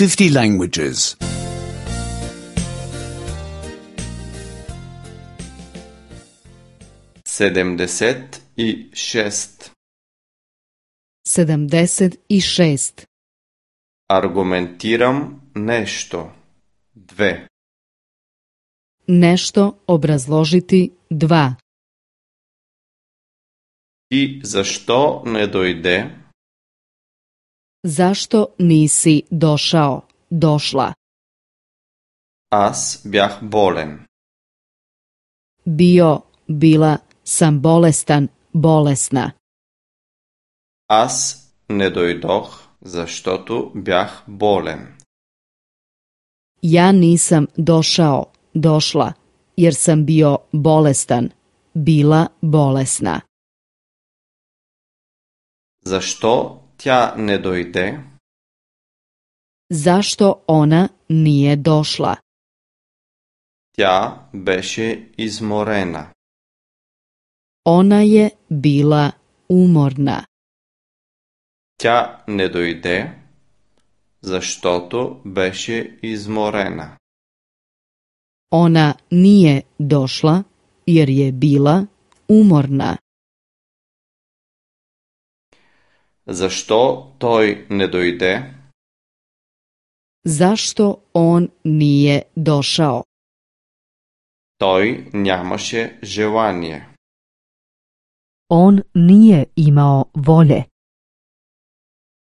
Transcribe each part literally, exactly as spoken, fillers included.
fifty languages. sedamdeset i šest. sedamdeset i šest. Argumentiram nešto. Dve. Nešto obrazložiti dva. I zašto ne dojde? Zašto nisi došao, došla? Аз бях болен. Bio, bila sam bolestan, bolesna. Аз не дойдох, защото бях болен. Ja nisam došao, došla, jer sam bio bolestan, bila bolesna. Защо тя не дойде? Zašto ona nije došla? Тя беше изморена. Ona je bila umorna. Тя не дойде, защото беше изморена. Ona nije došla, jer je bila umorna. Защо той не дойде? Zašto on nije došao? Той нямаше желание. On nije imao volje.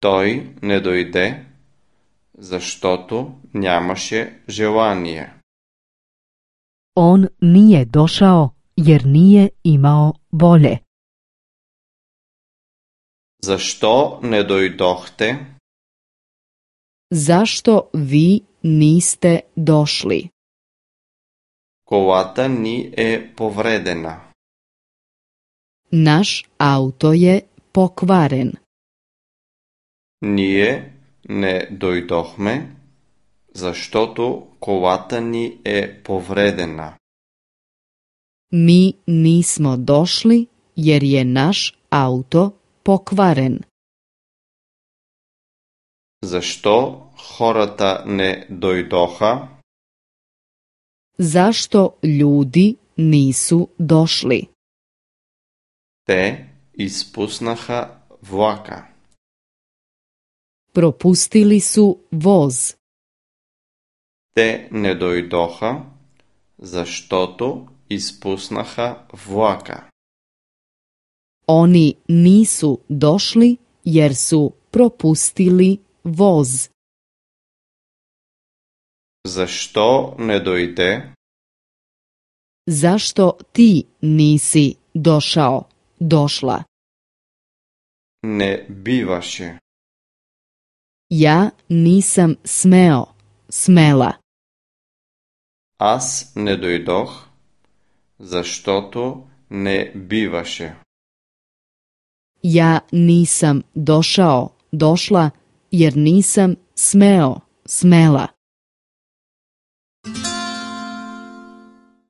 Той не дойде, защото нямаше желание. On nije došao, jer nije imao volje. Защо не дойдохте? Zašto vi niste došli? Колата ни е повредена. Naš auto je pokvaren. Ние не дойдохме, защото колата ни е повредена. Mi nismo došli, jer je naš auto pokvaren. Защо хората не дойдоха? Zašto ljudi nisu došli? Те изпуснаха влака. Propustili su voz. Те не дойдоха, защото изпуснаха влака. Oni nisu došli, jer su propustili voz. Защо не дойде? Zašto ti nisi došao, došla? Не биваше. Ja nisam smeo, smela. Аз не дойдох, защото не биваше. Ja nisam došao, došla, jer nisam smeo, smela.